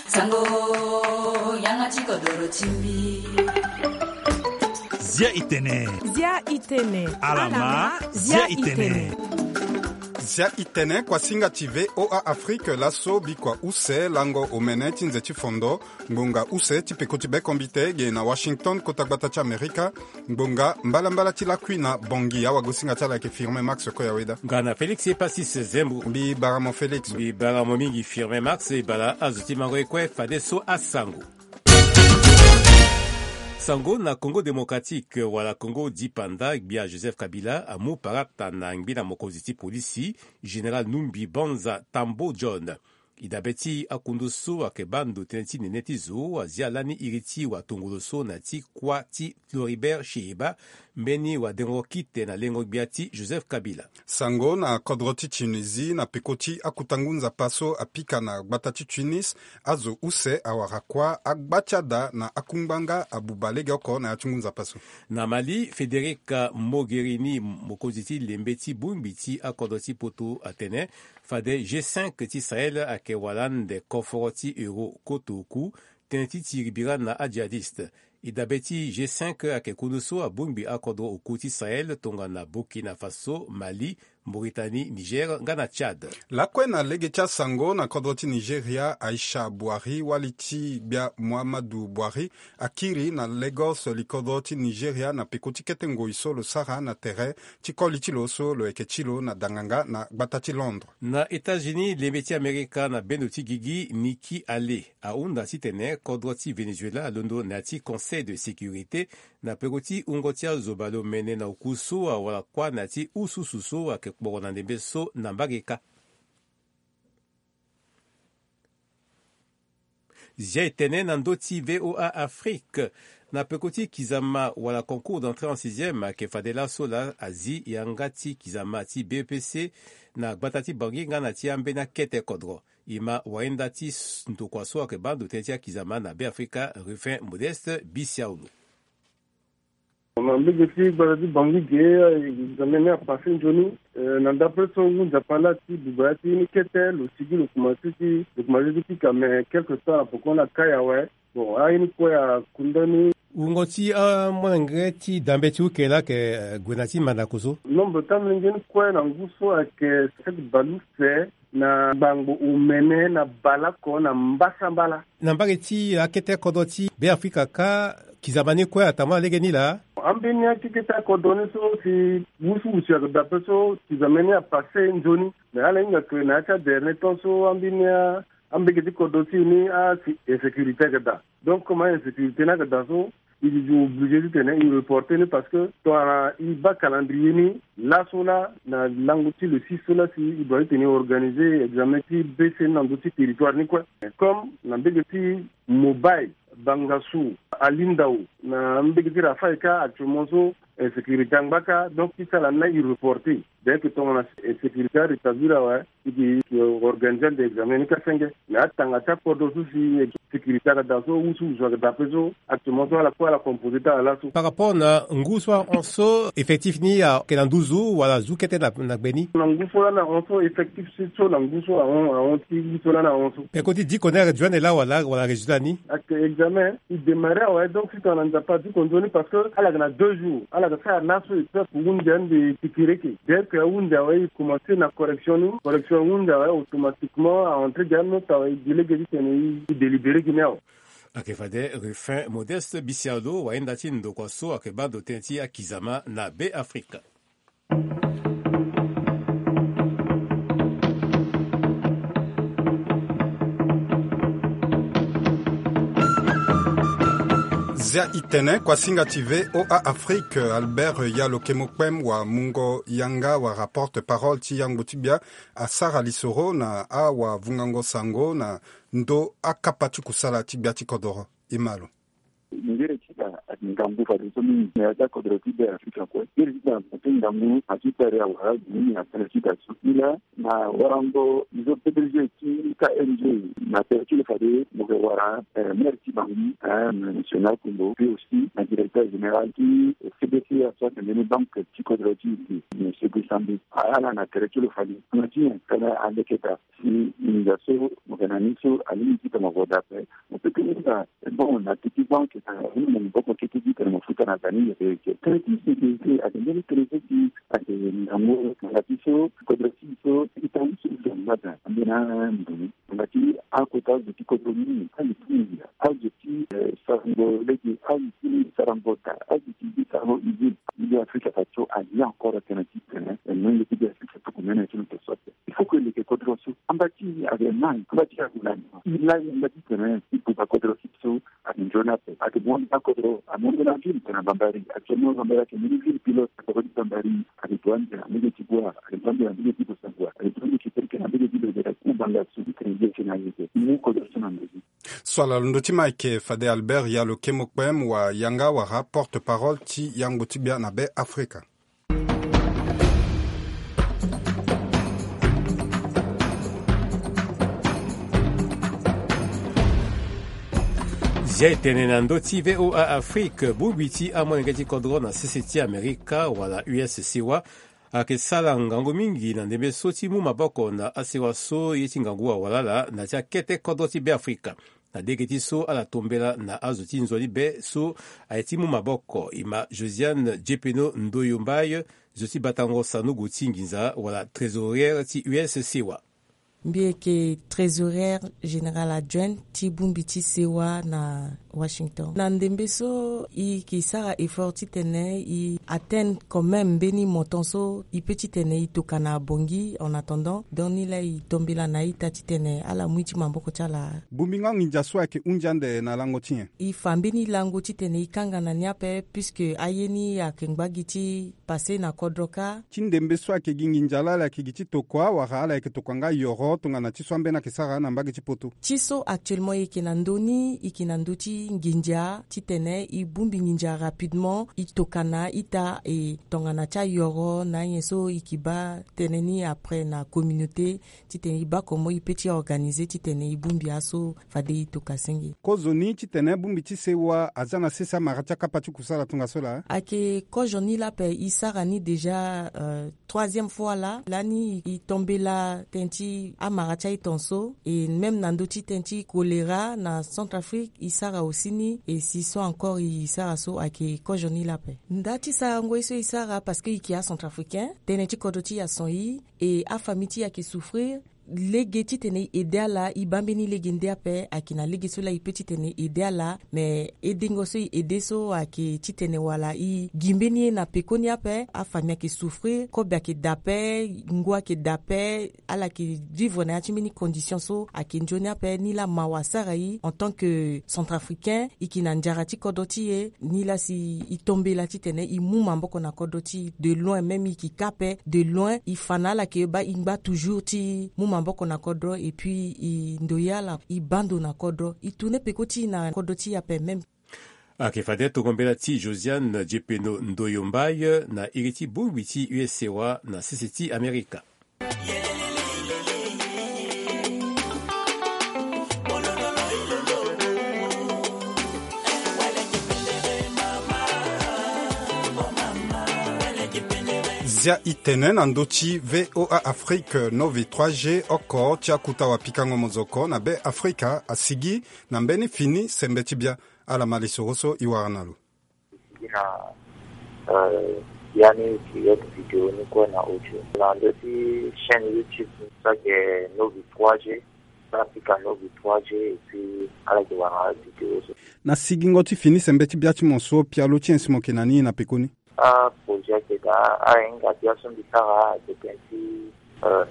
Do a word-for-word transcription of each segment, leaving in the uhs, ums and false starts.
Sango, yanga ti kodoro ti mbi. Zia i tene. Zia i tene. Alama, zia i tene. Zia i tene, kuasinga ti V O A Afrique, laso bikua use lango omene ti nze ti fondo, ngbonga use ti peko ti bekombite ge na Washington, kota gbata ti Amerika. Ngbonga mbalambala ti lakui na Bangui, awagosinga ti ala ayeke Firmin Max Koyaweda. Nga na Félix Epasis Zembo. Mbi bara mo Félix. Mbi bara mo mingi Firmin Max, e bara azo ti mango ye kue fadeso asango. Sango na Congo Démocratique, wala Congo dipanda, gbia Joseph Kabila amu parata na ngbina mokonzi ti polisi, Général Numbi Banza Tambo John. E dabe ti akundu so ayeke baa ndo tënë ti nene ti zo, azia lani iri ti watongolo so na ya ti kuâ ti Floribert Cheeba, mbeni wadengo kite na lengo gbia ti Joseph Kabila. Sango na kodro ti Tunisie, na peko ti akuta ngu nzapa so apika na gbata ti Tunis, azo use awara kuâ, agba ti ada na akungbanga abuba legeoko na ya ti ngu nzapa so. Na Mali, Federica Mogherini, mokonzi ti lembe ti bongbi ti akodro ti poto, atene fade G cinq ti Sahel ayeke wala ande koforo ti euro koto oku, tënë ti tiri bira na adjihadiste. E dabe ti G cinq ayeke kundu so abongbi akodro oku ti Sahel tongana Burkina Faso, Mali, Mauritanie, Niger nga na Tchad. Lakue na lege ti asango, na kodro ti Nigeria, Aisha Buhari, wali ti gbia Muhammadu Buhari, akiri na Lagos, likodro ti Nigeria, na peko ti kete ngoi so lo sara na tere ti koli ti lo so lo yeke ti lo na danganga na gbata ti Londres. Na États-Unis, lembe ti Amerika na bendo ti gigi Nikki Haley ahunda titene kodro ti Venezuela alondo na ya ti Conseil de sécurité na peko ti wungo ti azo baleomene na oku so awara kuâ na ya ti ususu so ayeke kporo na ndembe so na mbage kâ. Zia e tene na ndö ti V O A Afrique, na peko ti kizama wala concours d'entrée en sixième ayeke fade laso laa azi yanga ti kizama ti B E P C na gbata ti Bangui nga na ti ambeni akete kodro. E ma wahinda ti s-, ndokua so ayeke baa ndo tënë ti akizama na Beafrika, Ruffin Modeste Bisiaolo. Na mbege ti gbata ti Bangui ge, examen ni apasse nzoni. Eh, na ndapre so ngu nzapa laa ti buba ya ti ni kete, lo sigi lo komanse ti, lo komanse ti pika, mais quelque temps na poko na kai awe. Bon, aye ni kue akunda ni. Wungo ti amolenge ti dambe ti uke laa ayeke, eh, gue na ti mandako so. Nombre ti amolenge ni kue na ngu so ayeke sept bale use na gbangbo omene na baleoko na mbasambala. Na mbage ti akete kodro ti Beafrika kâ, kizama ni kue atambula lege ni laa. Ambeni akekete akodro ni so si wusuwusu ayeke daa ape so kizama ni apasse nzoni. Mais ala hinga ke na ya ti adernier temps so ambeni a, ambege ti kodro ti e ni asi insécurité ayeke daa. Donc comme ainsécurité ni ayeke daa so, e duti obligé titene e reporter ni parce que tongana e baa calendrier ni, laso laa na lango ti le six so laa si e doit titene e organiser examen ti B C ni na ndö ti territoire ni kue. Mais comme na mbege ti Mobay, Bangassou, Alindao, na mbege ti Rafaïka actuellement so insécurité angba kâ, donc ti sala ni laa e reporter. Dès que tongana insécurité arétablir awe, e yeke organiser ande examen ni kâ senge. Mais atanga ti akodro so si sécurité ayeke daa so, wusuwusu ayeke daa ape so, actuellement so ala kue ala composer ti ala laso. Par rapport na ngu so ahon so, effectif ni ayeke na nduzu wala azu kete na, na gbe ni? Na ngu so lani ahon so, effectif so na ngu so ahon, ahon ti ngu so lani ahon so. Peko ti diko ni ayeke duande laa wala, wala résultat ni? Ayeke examen e démarrer awe, donc si tongana Nzapa adiko nzoni, parce que ala yeke na deux jours, ala yeke sara laso, e peut ahunde ande tikireke. Dès que ahunde awe, e commencer na correction ni. Correction ahunde awe, automatiquement a entrer gi anote awe, e gi lege titene e délibérer gi ni awe. Ayeke fade Ruffin Modeste Bisiaolo, wahinda ti ndokua so ayeke baa ndo tënë ti akizama na Beafrika. Zia i tene, kuasinga ti V O A Afrique, Albert Yalo Kemo Kpem, wamungo yanga wala porte-parole ti yangbo ti gbia, asara lisoro na awavungango sango na ndö akapa ti kusala ti gbia ti kodoro. E ma lo. Ngere ti da ayeke ngangu fadeso mingi na ya ti akodro ti Beafrika kue. Ngere ti da ayeke ngangu na ti tari awara mingi na tënë ti da so. Nilaa na warango zo P D G ti K N G na tere ti lo fade mo yeke wara, eh, maire ti Bangui, eh, monsieur Nal Kumbo, puis aussi na directeur général ti C B C A so ayeke mbeni banque ti kodro ti e, monsieur Guy Sambi. Ala na tere ti lo fade. Tongana ti nyen? Tongana aleke daa si nginza so mo yeke na ni so alingbi ti tongana mo daa ape, mo peut ti hunda. Bon, na teti banque, na hunda na maboko ti teti tongana mo futa na daa ni yeke yeke. Tënë ti sécurité ayeke mbeni tënë so ti ayeke ngangu. Tongana ti so kodro ti e so ita husu husu angba daa ambeni andoni. Tongana ti akota azo ti kodro ni, azo ti nginza, azo ti, eh, sarango lege, azo ti sarango daa, azo ti sarango usine. Milieu Afrika fa so alia encore atene ti tene, eh, molenge ti Be Afrika tuku mene ti lo to so ape. Il faut que leke kodro so amba ti e ayeke nai, amba ti e ayeke nai. E lai amba ti tene e buba kodro so ayeke nzoni ape. Ayeke mu ande na kodro, amu ande na ville tongana Bambari. Actuellement Bambari ayeke mbeni ville pilote. Kodro ti Bambari ayeke gue ande na mbage ti Bouar, ayeke gue ande na mbage ti Bossangoa, ayeke gue ande ti Kerekere na mbage ti Bebere, Kubanga so ti tene ye ti na ye te. Mu kodro so na ndö ni. So ala londo ti ma ayeke fade Albert Yalo Kemokpem wa yanga wala porte-parole ti yango ti gbia na Be Afrika. Zia e tene na ndö ti V O A Afrique, bongbi ti amolenge ti kodro na sese ti Amerika wala U S sewa ayeke sara ngangu mingi na ndembe so ti mu maboko na asewa so ye ti ngangu awalala na ti akete kodro ti Be Afrika. Na lege ti so ala tombela na azo ti nzoni be so aye ti mu maboko, e ma Josiane Djepeno Ndoyo Mbaye, zo ti batango sanogo ti nginza wala trésorière ti U S sewa. Mbi yeke trésorière générale adjointe ti bongbi ti sewa na Washington. Na ndembe so e yeke sara effort titene e atteindre quand même mbeni montant so e peut titene e tokua na Bangui en attendant. Donc ni laa e tombela na a-ita titene ala mu ye ti maboko ti ala. Bongbingo anginza so ayeke hunzi ande na lango ti nyen? E fa mbeni lango titene e kanga na ni ape, puisque aye ni ayeke ngba gi ti passé na kodro kâ. Ti ndembe so ayeke gi nginza laa, ala yeke gi ti tokua wala ala yeke tokua nga yoro tongana ti so ambeni ayeke sara na mbage ti poto? Ti so actuellement e yeke na ndö ni, e yeke na ndö ti nginza titene e bongbi nginza rapidement, e tokua na a-ita, e tongana ti ayoro na anyen so e yeke baa tënë ni après na communauté, titene e baa comment e peut ti organiser titene e bongbi aso fade e tokua senge. Kozoni titene bongbi ti sewa aza na sese amara ti akapa ti kusala tongaso laa? Ayeke kozo ni laa ape, e sara ni déjà, euh, troisième fois laa. Lani e tombela tënë ti amara ti aye tongaso, et même na ndö ti tënë ti choléra na Centrafrique e sara aussi ni, et si so encore e sara so ayeke kozo ni laa ape. Nda ti sarango ye so e sara, parce que e yeke acentrafricain, tënë ti kodro ti e ason e, e afamille ti e ayeke souffrir. Lege titene e aidé ala, e baa mbeni lege nde ape, ayeke na lege so laa e peut titene e aidé ala, mais aidengo so e aidé so ayeke titene wala e gi mbeni ye na pekoni ape, afamille ayeke souffrir, kobe ayeke daa ape, ngu ayeke daa ape, ala yeke vivre na ya ti mbeni condition so ayeke nzoni ape. Ni laa mawa asara e en tant que centrafricain, e yeke na nzara ti kodro ti e, ni laa si e tombela titene e mu maboko na kodro ti e de loin, même e yeke kâ ape de loin, e fa na ala ke baa e ngba toujours ti mu maboko na kodro, et puis e ndoye ala e baa ndo na kodro, e tourner peko ti e na kodro ti e ape même. Ayeke fade tongo mbela ti Josiane Djepeno Ndoyo Mbaye na iri ti bongbi ti U S sewa na sese ti Amerika. Zia e tene na ndö ti V O A Afrique, Novi trois G, oko ti akuta wapikango mozoko na Be Afrika asigi na mbeni fini sembe ti bia. Ala ma lisoro so e wara na lo. Sigi na, euh, ya ni direct vidéo ni kue na audio. Na ndö ti chaîne YouTube ni so ayeke Novi trois G, so na pika Novi trois G, et puis ala yeke wara vidéo so. Na sigingo ti fini sembe ti bia ti mo so, pialo ti nyen si mo yeke na ni na pekoni? Aprojet ayeke daa, ahinga bia so mbi sara ayeke tënë ti, euh,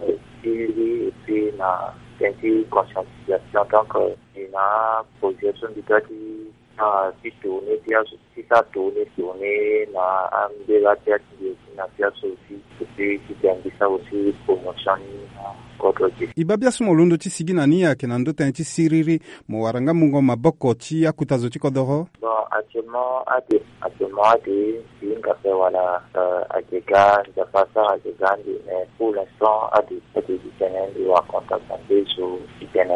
ti li, et puis na tënë ti conscientisation. Donc, euh, e na aprojet so mbi doit ti sara ti tourner bia so, ti sara tourner, tourner na ambela bia ti mbi aussi na bia so aussi. Et puis ti tene mbi sara aussi promotion ni na kodro ti. E baa biaso mo londo ti sigi na ni ayeke na ndö tënë ti siriri, mo wara nga mungo maboko ti akuta zo ti kodoro? Bon, actuellement ade, actuellement ade, mbi hinga ape wala, euh, ayeke ga Nzapa asara ayeke ga ande, mais pour l'instant ade, ade ti tene mbi wara contact na nde zo ti tene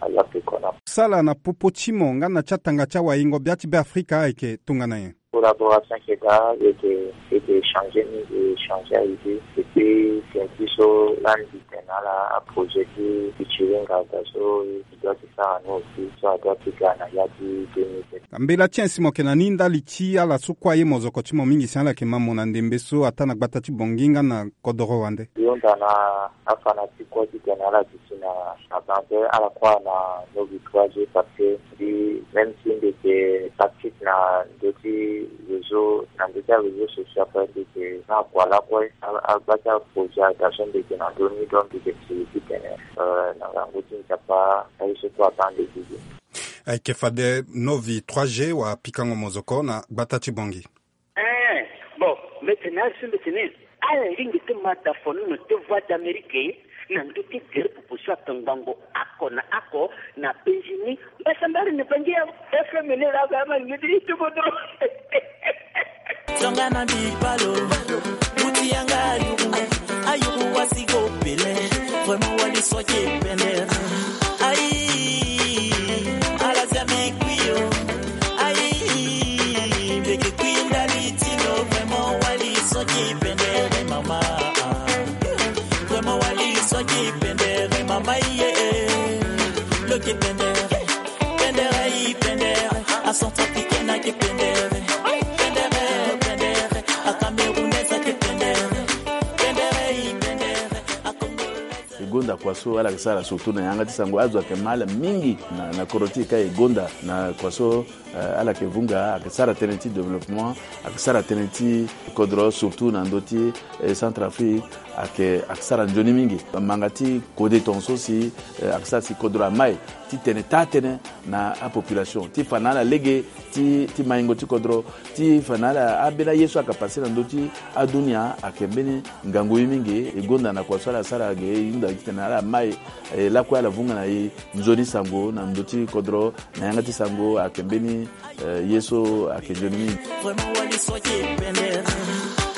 aya pe kona. Sala na popo ti mo nga na ti atanga ti awayingo bia ti Beafrika ayeke tongana nyen? Collaboration ayeke daa, e yeke, e yeke échanger mingi, e échanger aidée. Et puis tene ti so lani mbi tene na ala aprojet ti, ti ti hinga daa so e doit ti sara ni aussi, so adoit ti ga na ya ti deux mille vingt. Mbela ti ainsi mo yeke na ni ndali ti ala so kue aye mozoko ti mo mingi si ala yeke ma mo na ndembe so ataa na gbata ti Bangui nga na kodoro wande? Mbi hunda na afanatique kue ti tene ala duti na, na banque, ala croire na Novi trois G parce que mbi, même si mbi yeke tactique na ndö ti réseau, na ndö ti aréseau social kue, mbi yeke na kua lakue, a, agba ti aprojet aga so mbi yeke na ndö ni, donc mbi yeke siri titene, euh, na ngangu ti Nzapa aye so kue abaa mbi gigi. Ayeke fade Novi trois G wala pikango mozoko na gbata ti Bangui. Eh, bon, mbi tene na ala so mbi tene, ala lingbi ti ma da fo ni na te Voix d'Amérique na ndö ti gere popo so atongbango oko na oko na penzi ni. Mbasambala ni Bangui ya F M ni la ga ma ni ti kodro. Tonga na bipalo, buti yanga ayuru, ayuru wasi go pele. Vraiment wali soke pele. Aïe, ala zia mikui yo. Aïe, mbeke kui ndali ti lo, vraiment wali soki pendere mama. Vraiment wali soki pendere mama ye. Lo ke pendere, pendere i pendere, a Centrafricaine ake pendere. Pendere, pendere, a Camerounaise ake pendere. Pendere i pendere, a Congolaise. E gonda kua so ala yeke sara surtout na yanga ti sango, azo ayeke ma ala mingi na, na kodro ti e ka e gonda na kua so, eh, ala yeke vunga, ayeke sara tënë ti développement, ayeke sara tënë ti kodro surtout na ndö ti, eh, Centrafrique, ayeke, ayeke sara nzoni mingi. Manga ti kode tongaso si, eh, ayeke sara si kodro amai ti tene taa tënë na apopulation ti fa na ala lege ti, ti maingo ti kodro, ti fa na ala ambeni aye so ayeke passe na ndö ti adunia ayeke mbeni ngangu ye mingi. E gonda na kua so ala sara ge, e hunda titene ala mai, eh, lakue ala vunga na e nzoni sango na ndö ti kodro, na yanga ti sango ayeke mbeni, eh, ye so ayeke nzoni mingi. Vraiment wali soki pendere.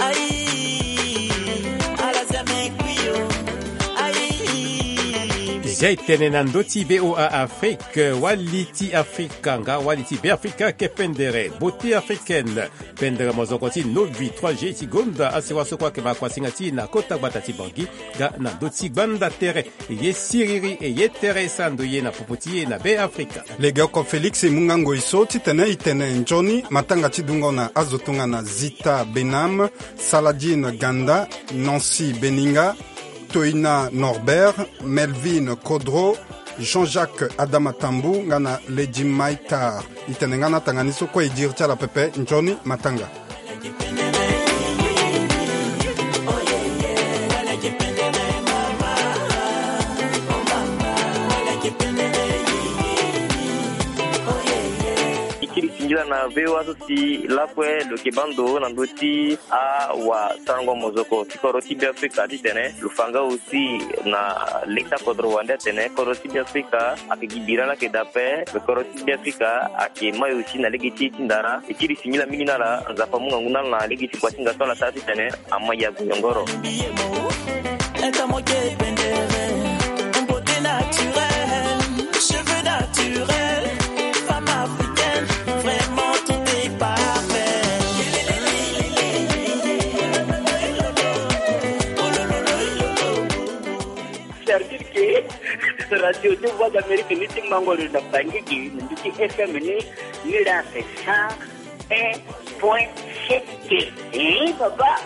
Aïe, ala zia mikui yo. Aïe. Zia e tene na ndö ti V O A Afrique, wali ti Afrika nga wali ti Beafrika ayeke pendere, beauté africaine. Pendere mozoko ti Novi trois G ti gonda asewa so kue ayeke ma kuasinga ti e na kota gbata ti Bangui nga na ndö ti gbanda tere. E ye siriri, e ye tere e sara ndo ye na popo ti e na Beafrika. Legeoko Félix e mu nga ngoi so titene e tene nzoni matanga ti dungo na azo tongana Zita Benam, Saladine Ganda, Nancy Beninga, Toina Norbert, Melvin Kodro, Jean-Jacques Adama Tambu nga na Lady Maitar. E tene nga na tanga ni so kue e diri ti ala pepe nzoni matanga. E kiri singila na V O A so si lakue lo yeke baa ndo na ndö ti awasarango mozoko ti kodro ti Beafrika titene lo fa nga aussi na lege ti akodro wande atene kodro ti Beafrika ayeke gi bira laa ayeke daa ape. Me kodro ti Beafrika ayeke mai aussi na lege ti e ti ndara. E kiri singila mingi na ala, Nzapa amu ngangu na ala na lege ti kua ti hinga so ala sara titene amai ague yongoro. Beauté naturelle, cheveux naturels, femme africaine, vraiment tout est parfait. C'est-à-dire que radio de Voix d'Amérique ni ti mango lo na Bangui gi, ni ti F M ni, ni la c'est cent un point sept. Eh, papa.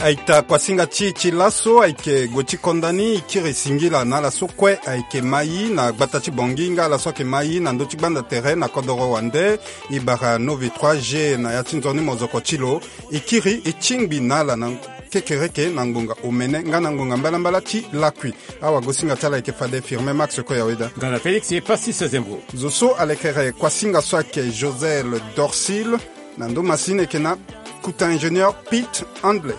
Aita kuasinga ti, ti laso ayeke gue ti konda ni, e kiri singila na ala so kue ayeke mai na gbata ti Bangui nga ala so ayeke mai na ndö ti gbanda tere na kodoro wande. E bara Novi trois G na ya ti nzoni mozoko ti lo. E kiri e tingbi na ala na kekereke na ngonga omene nga na ngonga mbalambala ti lakui. Awagosinga ti ala ayeke fade Firmin Max Koyaweda. Nga na Félix Pastis Zembo. Zo so alekere kuasinga so ayeke Josel Dorsil. Na ndo masini ayeke na kuta ingénieur Pete Handley.